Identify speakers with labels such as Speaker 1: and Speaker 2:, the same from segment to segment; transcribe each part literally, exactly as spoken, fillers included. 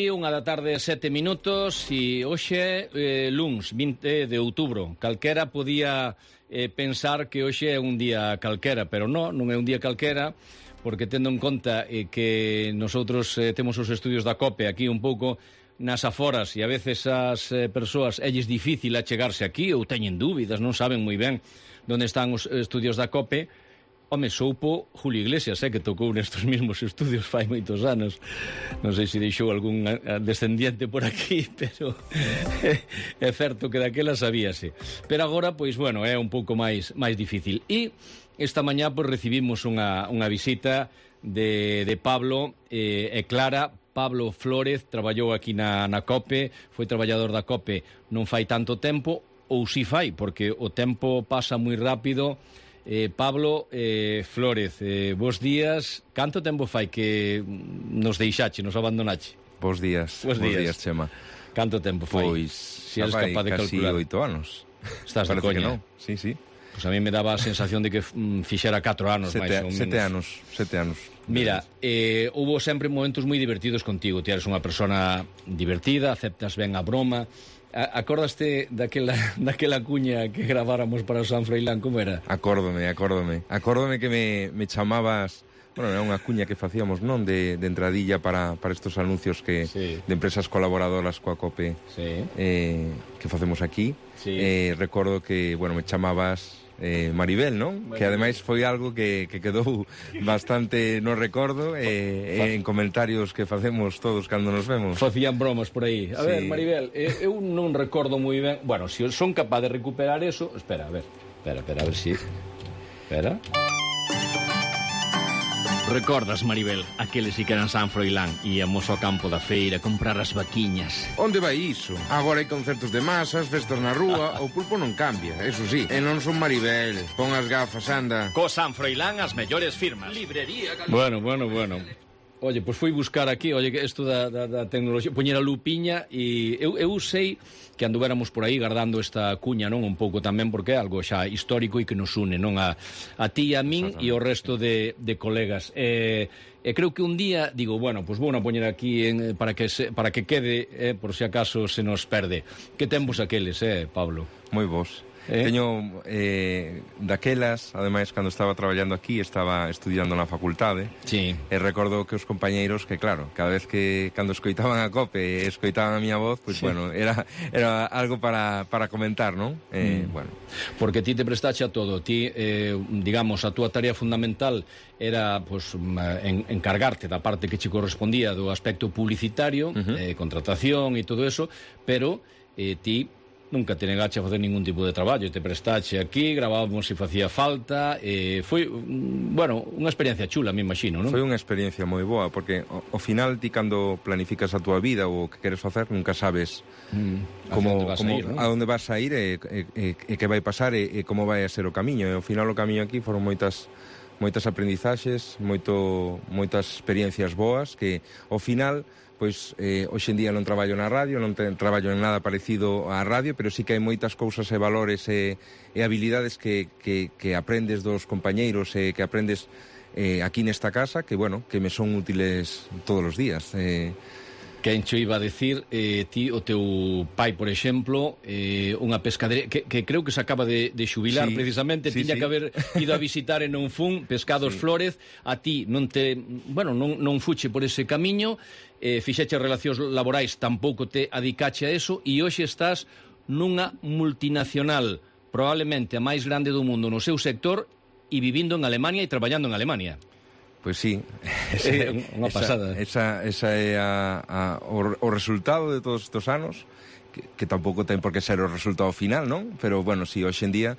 Speaker 1: Unha da tarde, sete minutos, e hoxe é eh, luns, vinte de outubro. Calquera podía eh, pensar que hoxe é un día calquera, pero non, non é un día calquera, porque tendo en conta eh, que nosotros eh, temos os estudios da COPE aquí un pouco nas aforas, e a veces as eh, persoas elles difícil achegarse aquí, ou teñen dúbidas, non saben moi ben onde están os estudios da COPE. Home, soupo Julio Iglesias, eh, que tocou nestes mesmos estudios fai moitos anos. Non sei se deixou algún descendiente por aquí, pero é certo que daquela sabíase. Pero agora, pois, bueno, é un pouco máis máis difícil. E esta mañá, pois, recibimos unha, unha visita de, de Pablo eh, e Clara. Pablo Flórez traballou aquí na, na COPE, foi traballador da COPE non fai tanto tempo, ou si fai, porque o tempo pasa moi rápido. Eh, Pablo eh, Flórez, eh, bos días. Canto tempo fai que nos deixache, nos abandonache?
Speaker 2: Bos días, bos días, días Chema.
Speaker 1: Canto tempo fai?
Speaker 2: Pois,
Speaker 1: si eres capaz de calcular.
Speaker 2: Casi oito anos.
Speaker 1: Estás de coña?
Speaker 2: No. Sí, sí.
Speaker 1: Pois pues a mí me daba a sensación de que mm, fixera catro anos
Speaker 2: sete,
Speaker 1: máis ou menos.
Speaker 2: Sete anos, sete anos.
Speaker 1: Mira, eh, hubo sempre momentos moi divertidos contigo. Ti eres unha persona divertida, aceptas ben a broma. Acordaste daquela, daquela cuña que graváramos para o San Froilán, como era?
Speaker 2: Acórdome, acórdome. Acórdome que me, me chamabas... Bueno, era unha cuña que facíamos, non? De, de entradilla para, para estos anuncios que sí. De empresas colaboradoras coa COPE sí. eh, que facemos aquí. Sí. Eh, recordo que, bueno, me chamabas... Eh, Maribel, non? Bueno, que ademais foi algo que, que quedou bastante no recordo eh, eh, en comentarios que facemos todos cando nos vemos.
Speaker 1: Facían bromas por aí. A sí. ver, Maribel, eh, eu non recordo moi ben. Bueno, se si son capaz de recuperar eso... Espera, a ver. Espera, espera, a ver si... Espera... Recordas, Maribel, aqueles que eran San Froilán? Íamos ao campo da feira a comprar as vaquiñas.
Speaker 3: Onde vai iso? Agora hai concertos de masas, festas na rúa, o pulpo non cambia, eso sí. E non son Maribel, pon as gafas, anda.
Speaker 4: Co San Froilán as mellores firmas. Librería Galicia.
Speaker 1: Bueno, bueno, bueno. Oye, pois pues fui buscar aquí, oye, isto da, da, da tecnoloxía, poñer a lupiña, e eu, eu sei que anduvéramos por aí guardando esta cuña, non? Un pouco tamén porque é algo xa histórico e que nos une, non? A, a ti, a min e o resto de, de colegas. E, e creo que un día, digo, bueno, pois pues vou a poñer aquí en, para, que se, para que quede, eh, por si acaso se nos perde. Que tempos aqueles, eh, Pablo?
Speaker 2: Moi vos. Eh? Teño eh, daquelas, ademais, cando estaba traballando aquí, estaba estudiando na facultade.
Speaker 1: Sí.
Speaker 2: E recordo que os compañeiros, que claro, cada vez que cando escoitaban a COPE e escoitaban a miña voz, pois, pues, sí. bueno, era, era algo para, para comentar, non? Eh, mm. bueno.
Speaker 1: Porque ti te prestache a todo. Ti, eh, digamos, a túa tarea fundamental era, pues, en, encargarte da parte que che correspondía do aspecto publicitario, uh-huh. eh, contratación e todo eso, pero eh, ti nunca te negache a facer ningún tipo de traballo, te prestache aquí, gravábamos se facía falta, eh, foi, bueno, unha experiencia chula, me imagino, non?
Speaker 2: Foi unha experiencia moi boa, porque ao final ti cando planificas a túa vida ou o que queres facer, nunca sabes mm, como, como, a, ir, ¿no? a onde vas a ir e, e, e, e que vai pasar e, e como vai a ser o camiño, e ao final o camiño aquí foron moitas moitas aprendizaxes, moito, moitas experiencias boas que ao final... Pois eh, hoxe en día non traballo na radio, non ten, traballo en nada parecido á radio, pero sí que hai moitas cousas e valores e, e habilidades que, que, que aprendes dos compañeiros e que aprendes eh, aquí nesta casa, que, bueno, que me son útiles todos os días. Eh,
Speaker 1: Quen cho iba a decir, eh, ti, o teu pai, por exemplo, eh, unha pescadería que, que creo que se acaba de, de xubilar, sí, precisamente, sí, tiña sí. que haber ido a visitar e non fun, Pescados sí. Flórez, a ti non te, bueno, non, non fuche por ese camiño, eh, fixeche relacións laborais, tampouco te adicache a eso, e hoxe estás nunha multinacional, probablemente a máis grande do mundo no seu sector, e vivindo en Alemania e traballando en Alemania.
Speaker 2: Pois sí,
Speaker 1: esa, é unha pasada.
Speaker 2: Esa, esa, esa é a, a, o, o resultado de todos estes anos, que, que tampouco ten por que ser o resultado final, non? Pero, bueno, si, sí, hoxe en día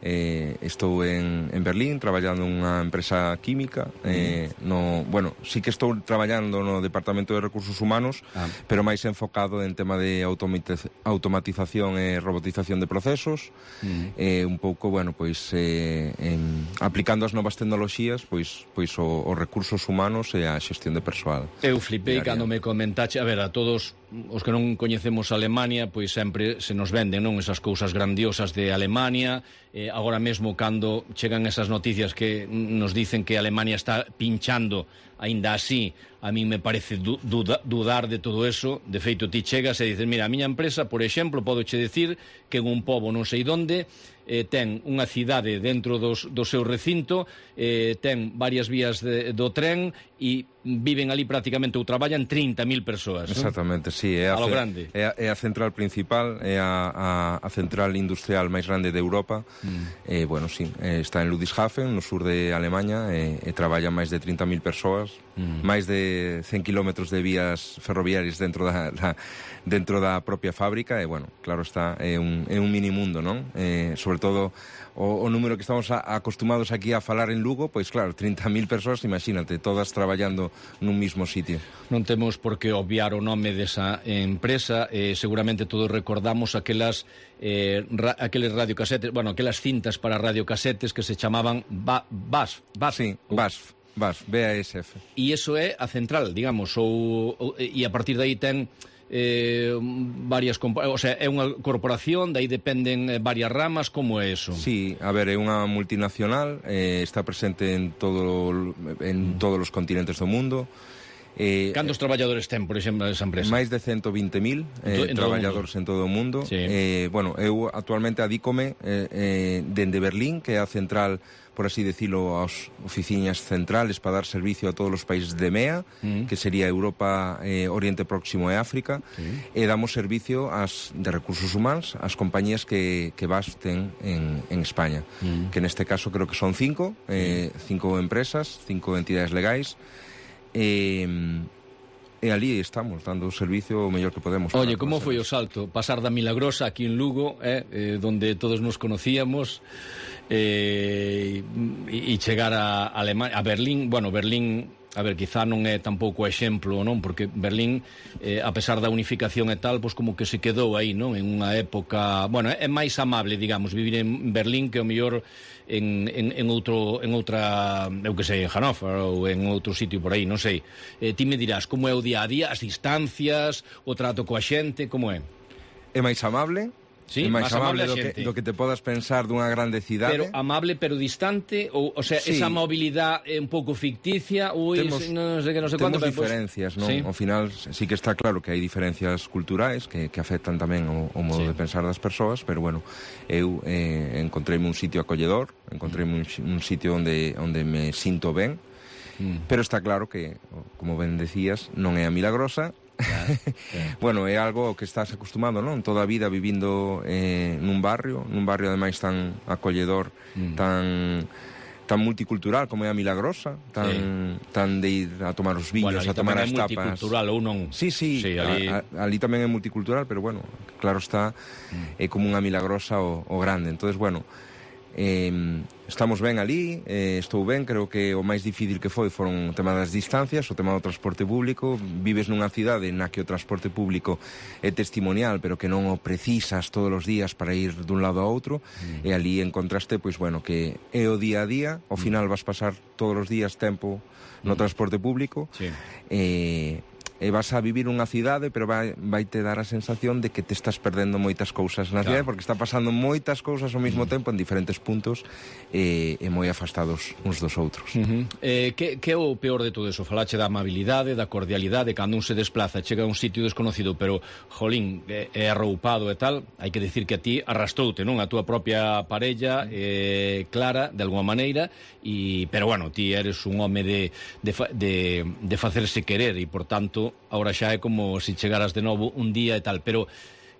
Speaker 2: eh, estou en, en Berlín traballando nunha empresa química, eh, mm. no, bueno, sí que estou traballando no Departamento de Recursos Humanos, ah. pero máis enfocado en tema de automatización e robotización de procesos, mm. eh, un pouco, bueno, pois eh, en, aplicando as novas tecnoloxías, pois, pois o, os recursos humanos e a xestión de persoal.
Speaker 1: Eu flipei cando me comentache, a ver, a todos os que non coñecemos Alemania, pois sempre se nos venden, non, esas cousas grandiosas de Alemania. Eh, agora mesmo cando chegan esas noticias que nos dicen que Alemania está pinchando, aínda así, a mí me parece du duda, dudar de todo eso. De feito, ti chegas e dices, mira, a miña empresa, por exemplo, podo che decir que en un pobo non sei donde eh, ten unha cidade dentro dos, do seu recinto, eh, ten varias vías de, do tren e viven ali prácticamente ou traballan trinta mil persoas.
Speaker 2: Exactamente, ¿no? Sí, é a,
Speaker 1: a lo grande.
Speaker 2: É a, é a central principal, é a, a, a central industrial máis grande de Europa. Mm. Eh, bueno, sí, eh, está en Ludwigshafen, no sur de Alemanha, e, e traballan máis de trinta mil persoas, mm. máis de cen kilómetros de vías ferroviarias dentro da, da, dentro da propia fábrica, e, bueno, claro está, é un, é un mini mundo, non? Eh, sobre todo o, o número que estamos a, acostumados aquí a falar en Lugo, pois claro, trinta mil persoas, imagínate, todas traballando nun mismo sitio.
Speaker 1: Non temos por que obviar o nome desa empresa, eh, seguramente todos recordamos aquelas eh, ra, aqueles radiocasetes, bueno, aquelas cintas para radiocasetes que se chamaban ba, B A S F. B A S F.
Speaker 2: Sí, B A S F. B A S F, B A S F.
Speaker 1: E iso é a central, digamos, ou, ou, e a partir de aí ten eh, varias, o sea, é unha corporación, de aí dependen varias ramas, como é eso?
Speaker 2: Sí, a ver, é unha multinacional, eh, está presente en todo en mm. todos os continentes do mundo.
Speaker 1: Eh, Cantos traballadores ten, por exemplo, esa empresa?
Speaker 2: Máis de ciento vinte mil eh, en traballadores en todo o mundo.
Speaker 1: Sí.
Speaker 2: Eh, bueno, eu actualmente adícome eh, eh, dende Berlín, que é a central, por así decirlo, as oficinas centrales para dar servicio a todos os países de E M E A, mm. que sería Europa, eh, Oriente Próximo e África, sí. E damos servicio ás, de recursos humanos ás compañías que, que basten en, en España, mm. que neste caso creo que son cinco, eh, cinco empresas, cinco entidades legais, e... E ali estamos, dando o servicio o mellor que podemos.
Speaker 1: Oye, como foi o salto? Pasar da Milagrosa aquí en Lugo, eh, eh, donde todos nos conocíamos, eh, e chegar a Alemania, a Berlín. Bueno, Berlín, a ver, quizá non é tampouco exemplo, non? Porque Berlín, eh, a pesar da unificación e tal, pois como que se quedou aí, non? En unha época, bueno, é máis amable, digamos, vivir en Berlín que o mellor en, en, en outro, en outra, eu que sei, en Hannover ou en outro sitio por aí, non sei. Eh, ti me dirás, como é o día a día, as distancias, o trato coa xente, como é?
Speaker 2: É máis amable.
Speaker 1: Sí,
Speaker 2: é máis amable,
Speaker 1: amable
Speaker 2: do, que, do que te podas pensar dunha grande cidade.
Speaker 1: Pero amable pero distante, ou, o sea, sí. Esa mobilidade é un pouco ficticia, ou
Speaker 2: temos,
Speaker 1: non sei que non sei
Speaker 2: temos
Speaker 1: cuánto,
Speaker 2: diferencias,
Speaker 1: pues,
Speaker 2: non?
Speaker 1: Sí.
Speaker 2: Ao final sí que está claro que hai diferencias culturais que, que afectan tamén o, o modo sí. de pensar das persoas, pero bueno, eu eh, encontreime un sitio acolledor, encontreime un, un sitio onde, onde me sinto ben, mm. pero está claro que, como ben decías, non é a Milagrosa. Claro, claro. Bueno, é algo que estás acostumado, non? Toda a vida vivindo eh, nun barrio, nun barrio ademais tan acolledor, mm. tan tan multicultural como é a Milagrosa, tan sí. tan de ir a tomar os viños, bueno, a tomar as tapas.
Speaker 1: Multicultural ou non?
Speaker 2: Sí, sí,
Speaker 1: sí ali...
Speaker 2: A, a, ali tamén é multicultural, pero bueno, claro está, mm. é como unha Milagrosa o, o grande. Entonces, bueno, eh, estamos ben ali, eh, estou ben, creo que o máis difícil que foi foron o tema das distancias, o tema do transporte público. Vives nunha cidade na que o transporte público é testimonial, pero que non o precisas todos os días para ir dun lado a outro, mm. e ali encontraste, pois bueno, que é o día a día, ao mm. final vas pasar todos os días tempo no mm. transporte público,
Speaker 1: sí.
Speaker 2: e... e vas a vivir unha cidade, pero vai, vai te dar a sensación de que te estás perdendo moitas cousas na cidade, claro. Porque está pasando moitas cousas ao mesmo mm. tempo en diferentes puntos e, e moi afastados uns dos outros.
Speaker 1: Uh -huh. eh, que, que é o peor de todo eso? Falache da amabilidade, da cordialidade, cando un se desplaza, chega a un sitio desconocido, pero, jolín, é, é arroupado e tal, hai que decir que a ti arrastroute, non? A túa propia parella, eh, Clara, de alguma maneira, e, pero, bueno, ti eres un home de, de, de, de facerse querer e, por tanto, ahora xa é como se chegaras de novo un día e tal, pero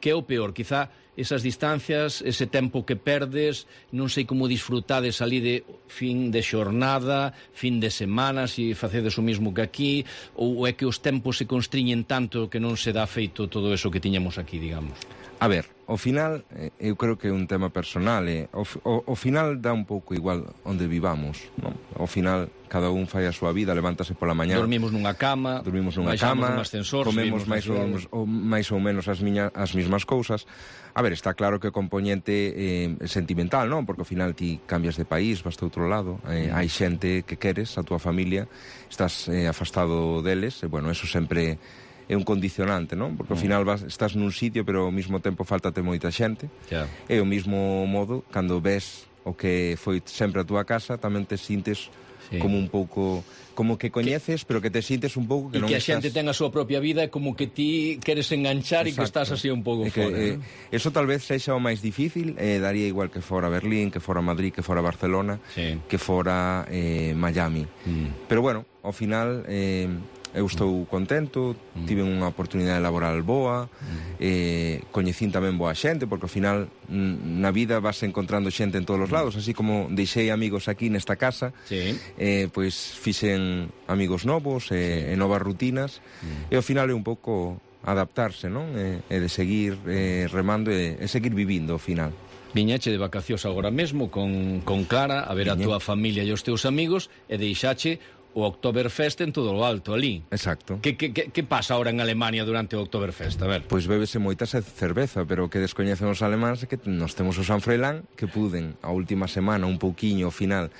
Speaker 1: que é o peor? Quizá esas distancias, ese tempo que perdes, non sei como disfrutades ali de fin de xornada, fin de semana, se facedes o mismo que aquí, ou é que os tempos se constriñen tanto que non se dá feito todo eso que tiñamos aquí, digamos?
Speaker 2: A ver, ao final, eu creo que é un tema personal, eh? o, o, o final dá un pouco igual onde vivamos, non? Ao final, cada un fai a súa vida, levántase pola mañá.
Speaker 1: Dormimos nunha cama,
Speaker 2: dormimos nunha cama,
Speaker 1: ascensor,
Speaker 2: comemos máis ou, ou, máis ou menos as, miña, as mismas cousas. A ver, está claro que o componente eh, sentimental, non? Porque ao final ti cambias de país, vas a outro lado, eh, hai xente que queres, a túa familia, estás eh, afastado deles, e bueno, eso sempre... é un condicionante, non? Porque ao final vas, estás nun sitio, pero ao mesmo tempo faltate moita xente.
Speaker 1: Yeah.
Speaker 2: E ao mesmo modo, cando ves o que foi sempre a túa casa, tamén te sintes sí. como un pouco... como que coñeces, que, pero que te sintes un pouco que
Speaker 1: non
Speaker 2: estás...
Speaker 1: E que a xente ten a súa propia vida e como que ti queres enganchar. Exacto. E que estás así un pouco fora.
Speaker 2: Eh, ¿no? Eso tal vez sexa o máis difícil, eh, daría igual que fora Berlín, que fora Madrid, que fora Barcelona, sí. que fora eh, Miami. Mm. Pero bueno, ao final... Eh, eu estou contento, mm. tive unha oportunidade laboral boa, mm. eh, coñecín tamén boa xente, porque ao final na vida vas encontrando xente en todos os lados, así como deixei amigos aquí nesta casa, sí. eh, pois fixen amigos novos e, sí. e novas rutinas, mm. e ao final é un pouco adaptarse, non? E, e de seguir eh, remando e, e seguir vivindo ao final.
Speaker 1: Viñache de vacacións agora mesmo con, con Clara a ver Viñe. a túa familia e os teus amigos e deixache o Oktoberfest en todo o alto, ali.
Speaker 2: Exacto.
Speaker 1: Que, que, que, que pasa ahora en Alemania durante o Oktoberfest? A ver.
Speaker 2: Pois bébese moita cerveza, pero o que descoñecen os alemáns é que nos temos o San Froilán, que puden a última semana, un pouquiño ao final,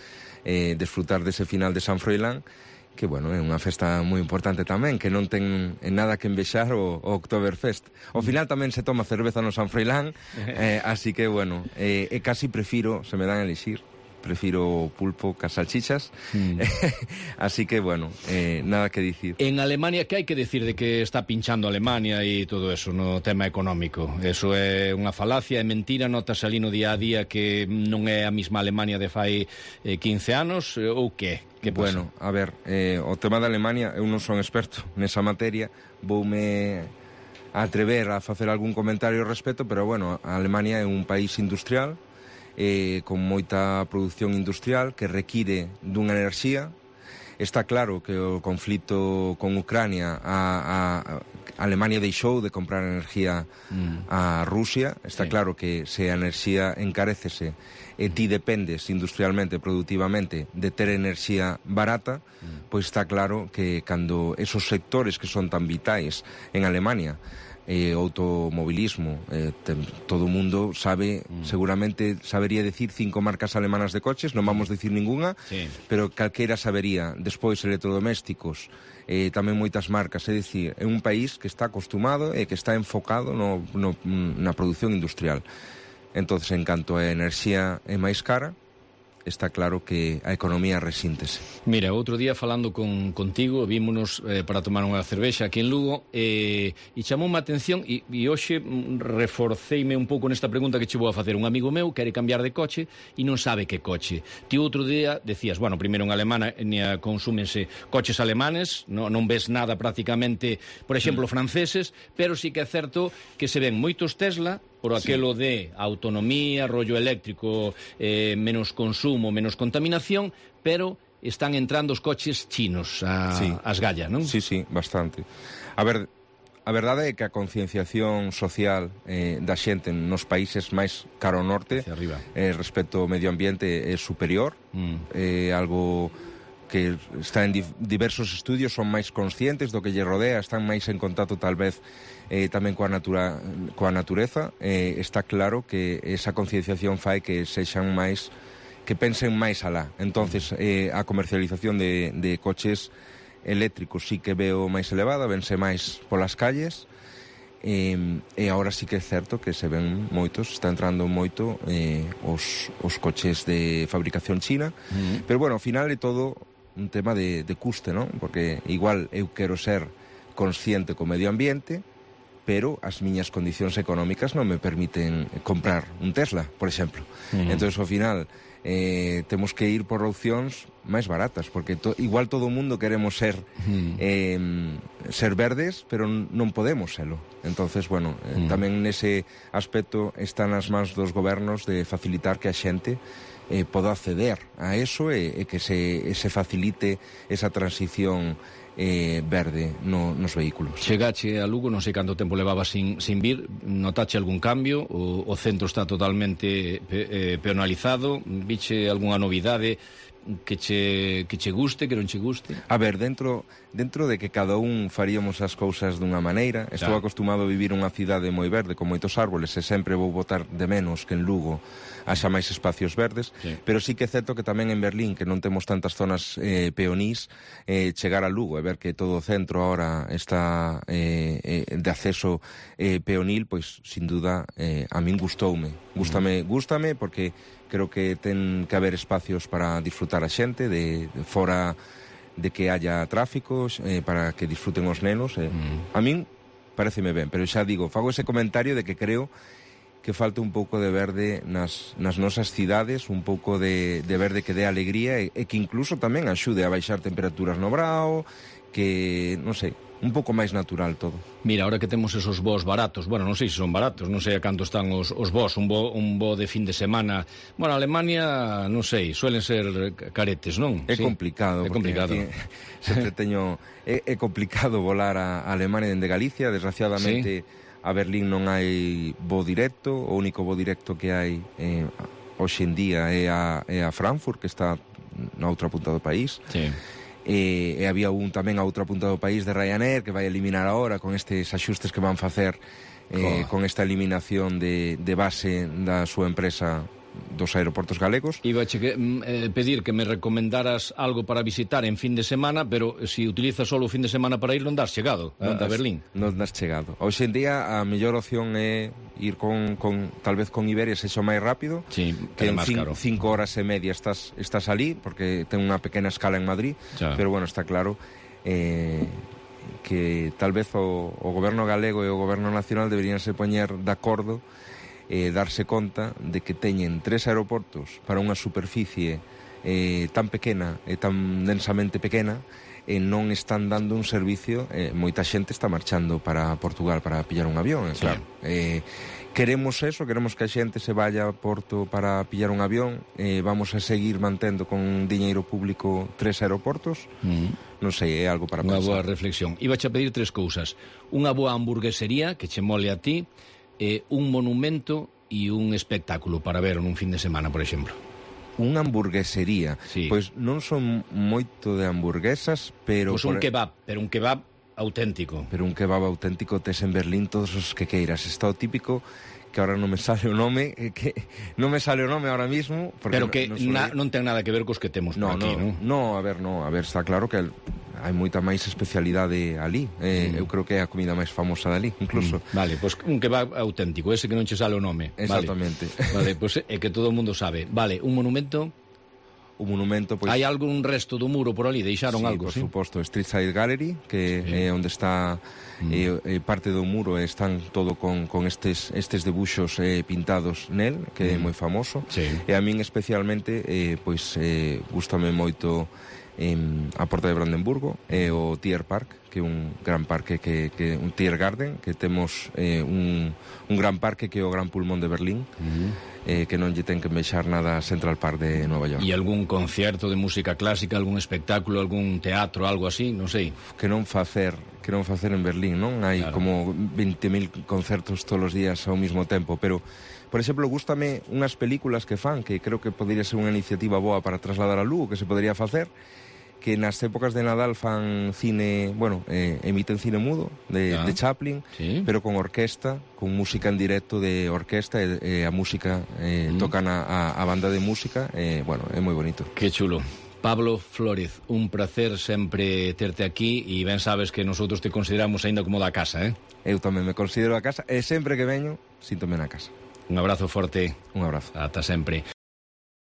Speaker 2: eh, desfrutar dese final de San Froilán, que, bueno, é unha festa moi importante tamén, que non ten nada que envexar o, o Oktoberfest. Ao final tamén se toma cerveza no San Froilán, eh, así que, bueno, eh, e casi prefiro, se me dan a elixir, prefiro pulpo que as salchichas. Mm. Así que, bueno, eh, nada que dicir.
Speaker 1: En Alemania, que hai que decir de que está pinchando Alemania e todo eso no tema económico? Eso é unha falacia, é mentira, notas ali no día a día que non é a mesma Alemania de fai eh, quince anos, ou que? Que pasa?
Speaker 2: Bueno, a ver, eh, o tema de Alemania, eu non son experto nesa materia, voume atrever a facer algún comentario ao respecto, pero, bueno, a Alemania é un país industrial, Eh, con moita produción industrial que require dunha enerxía. Está claro que o conflito con Ucrania a, a, a Alemania deixou de comprar enerxía mm. a Rusia. Está sí. claro que se a enerxía encarécese e ti dependes industrialmente, productivamente de ter enerxía barata, mm. pois está claro que cando esos sectores que son tan vitais en Alemania, eh, automobilismo, eh, ten, todo o mundo sabe, mm. seguramente sabería decir cinco marcas alemanas de coches, non vamos decir ningunha, sí. pero calquera sabería. Despois electrodomésticos, eh, tamén moitas marcas, é dicir, é un país que está acostumado e que está enfocado no, no, na produción industrial. Entonces, en canto a enerxía é máis cara, está claro que a economía resíntese.
Speaker 1: Mira, outro día falando con, contigo, vímonos eh, para tomar unha cervexa aquí en Lugo, eh, e chamou má atención, e, e hoxe reforceime un pouco nesta pregunta que che vou a facer. Un amigo meu quere cambiar de coche e non sabe que coche. Ti outro día decías, bueno, primeiro en Alemania consúmense coches alemanes, non, non ves nada prácticamente, por exemplo, mm. franceses, pero sí que é certo que se ven moitos Tesla, por aquelo sí. de autonomía, rollo eléctrico, eh, menos consumo, menos contaminación, pero están entrando os coches chinos a, sí. as gallas, non?
Speaker 2: Sí, sí, bastante. A ver, a verdade é que a concienciación social eh, da xente nos países máis caro ao norte eh, respecto ao medio ambiente é superior, mm. é eh, algo que está en diversos estudios, son máis conscientes do que lle rodea, están máis en contacto tal vez eh, tamén coa, natura, coa natureza. Eh, está claro que esa concienciación fai que sexan máis, que pensen máis alá. Entonces, eh, a comercialización de, de coches eléctricos sí que veo máis elevada, vense máis polas calles, e, e agora sí que é certo que se ven moitos, está entrando moito eh, os, os coches de fabricación china, mm. pero bueno, ao final é todo un tema de, de custe, non? Porque igual eu quero ser consciente co medio ambiente, pero as miñas condicións económicas non me permiten comprar un Tesla, por exemplo. Mm. Entón, ao final, eh, temos que ir por opcións máis baratas, porque to, igual todo o mundo queremos ser mm. eh, ser verdes, pero non podemos selo. Entonces, bueno, eh, mm. tamén nese aspecto están nas mans dos gobernos de facilitar que a xente eh, poda acceder a eso e, e que se, se facilite esa transición eh, verde no, nos vehículos.
Speaker 1: Chegache a Lugo, non sei canto tempo levaba sin, sin vir, notache algún cambio? O, o centro está totalmente pe, eh, peonalizado? Viche algunha novidade? que che, que che guste, que non che guste?
Speaker 2: A ver, dentro dentro de que cada un faríamos as cousas dunha maneira, estou
Speaker 1: claro.
Speaker 2: acostumado a vivir unha cidade moi verde, con moitos árboles, e sempre vou botar de menos que en Lugo haxa máis espacios verdes,
Speaker 1: sí.
Speaker 2: pero sí que é certo que tamén en Berlín, que non temos tantas zonas eh, peonís, eh, chegar a Lugo e ver que todo o centro ahora está eh, eh, de acceso eh, peonil, pois, sin duda, eh, a min gustoume. Gústame, gústame porque creo que ten que haber espacios para disfrutar a xente, de, de fora de que haya tráficos, eh, para que disfruten os nenos. Eh. Mm. A min pareceme ben, pero xa digo, fago ese comentario de que creo que falta un pouco de verde nas, nas nosas cidades, un pouco de, de verde que dé alegría e, e que incluso tamén axude a baixar temperaturas no brao, que, non sei, un pouco máis natural todo.
Speaker 1: Mira, ahora que temos esos voos baratos, bueno, non sei se son baratos, non sei a canto están os, os voos, un bo, un bo de fin de semana. Bueno, Alemania, non sei, suelen ser caretes, non?
Speaker 2: É
Speaker 1: sí?
Speaker 2: complicado.
Speaker 1: É complicado.
Speaker 2: Aquí, sempre teño, é, é complicado volar a, a Alemania dende Galicia, desgraciadamente... Sí. A Berlín non hai voo directo, o único voo directo que hai eh, hoxe en día é a, é a Frankfurt, que está na outra punta do país.
Speaker 1: Sí.
Speaker 2: E, e había un tamén a outra punta do país de Ryanair que vai eliminar agora con estes axustes que van facer eh, con esta eliminación de, de base da súa empresa dos aeroportos galegos.
Speaker 1: Iba a che, eh, pedir que me recomendaras algo para visitar en fin de semana, pero se si utilizas solo o fin de semana para ir, non das chegado a,
Speaker 2: non das,
Speaker 1: a Berlín.
Speaker 2: Non das chegado. Hoxe en día a mellor opción é ir con, con tal vez con Iberia, sexo máis rápido,
Speaker 1: sí,
Speaker 2: que en
Speaker 1: cin,
Speaker 2: cinco horas e media estás, estás ali, porque ten unha pequena escala en Madrid, ya. Pero bueno, está claro eh, que tal vez o, o goberno galego e o goberno nacional deberían se poñer de acordo eh, darse conta de que teñen tres aeroportos para unha superficie eh, tan pequena e tan densamente pequena e non están dando un servicio. Eh, moita xente está marchando para Portugal para pillar un avión, eh, sí. Claro. Eh, queremos eso, queremos que a xente se vaya a Porto para pillar un avión, eh, vamos a seguir mantendo con diñeiro público tres aeroportos. Mm. Non sei, é algo para
Speaker 1: unha
Speaker 2: pensar.
Speaker 1: Unha boa reflexión. Ibache a pedir tres cousas: unha boa hamburguesería que che mole a ti, eh, un monumento e un espectáculo para ver nun fin de semana, por exemplo.
Speaker 2: Unha hamburguesería?
Speaker 1: Sí.
Speaker 2: Pois non son moito de hamburguesas, pero...
Speaker 1: Pois un por... kebab, pero un kebab auténtico.
Speaker 2: Pero un kebab auténtico tes en Berlín todos os que queiras. Está o típico, que ahora non me sale o nome, que non me sale o nome ahora mismo...
Speaker 1: Pero que non, na, non ten nada que ver cos que temos
Speaker 2: no,
Speaker 1: por aquí, non?
Speaker 2: No, no, a ver, no, a ver, está claro que hai moita máis especialidade ali. Eh, mm. Eu creo que é a comida máis famosa dali, incluso.
Speaker 1: Mm. Vale, pois pues un kebab auténtico, ese que non che sale o nome.
Speaker 2: Exactamente.
Speaker 1: Vale, vale, pois pues é que todo o mundo sabe. Vale, un monumento...
Speaker 2: O monumento, pois...
Speaker 1: Hai algún resto do muro por ali? Deixaron
Speaker 2: sí,
Speaker 1: algo,
Speaker 2: por
Speaker 1: sí?
Speaker 2: por suposto, Street Side Gallery, que sí. É onde está mm. eh, parte do muro, están todo con, con estes, estes debuxos eh, pintados nel, que mm. é moi famoso.
Speaker 1: Sí.
Speaker 2: E a min especialmente, eh, pois, eh, gústame moito eh, a Porta de Brandenburgo e o Tier Park, que é un gran parque, que, que un Tier Garden, que temos eh, un, un gran parque que é o Gran Pulmón de Berlín, mm. Eh, que non lle ten que envexar nada a Central Park de Nova York.
Speaker 1: E algún concierto de música clásica, algún espectáculo, algún teatro, algo así, non sei.
Speaker 2: Que non facer, que non facer en Berlín, non? Hai claro. Como veinte mil concertos todos os días ao mesmo tempo, pero, por exemplo, gústame unhas películas que fan, que creo que podría ser unha iniciativa boa para trasladar a Lugo, que se podría facer, que nas épocas de Nadal fan cine, bueno, eh, emiten cine mudo de, ah, de Chaplin, sí. Pero con orquesta, con música en directo de orquesta, e, e a música eh, mm. tocan a, a, a banda de música, eh, bueno, é moi bonito.
Speaker 1: Que chulo. Pablo Flórez, un placer sempre terte aquí, e ben sabes que nosotros te consideramos aínda como da casa, eh?
Speaker 2: Eu tamén me considero a casa, e sempre que veño, síntome na casa.
Speaker 1: Un abrazo forte.
Speaker 2: Un abrazo.
Speaker 1: Ata sempre.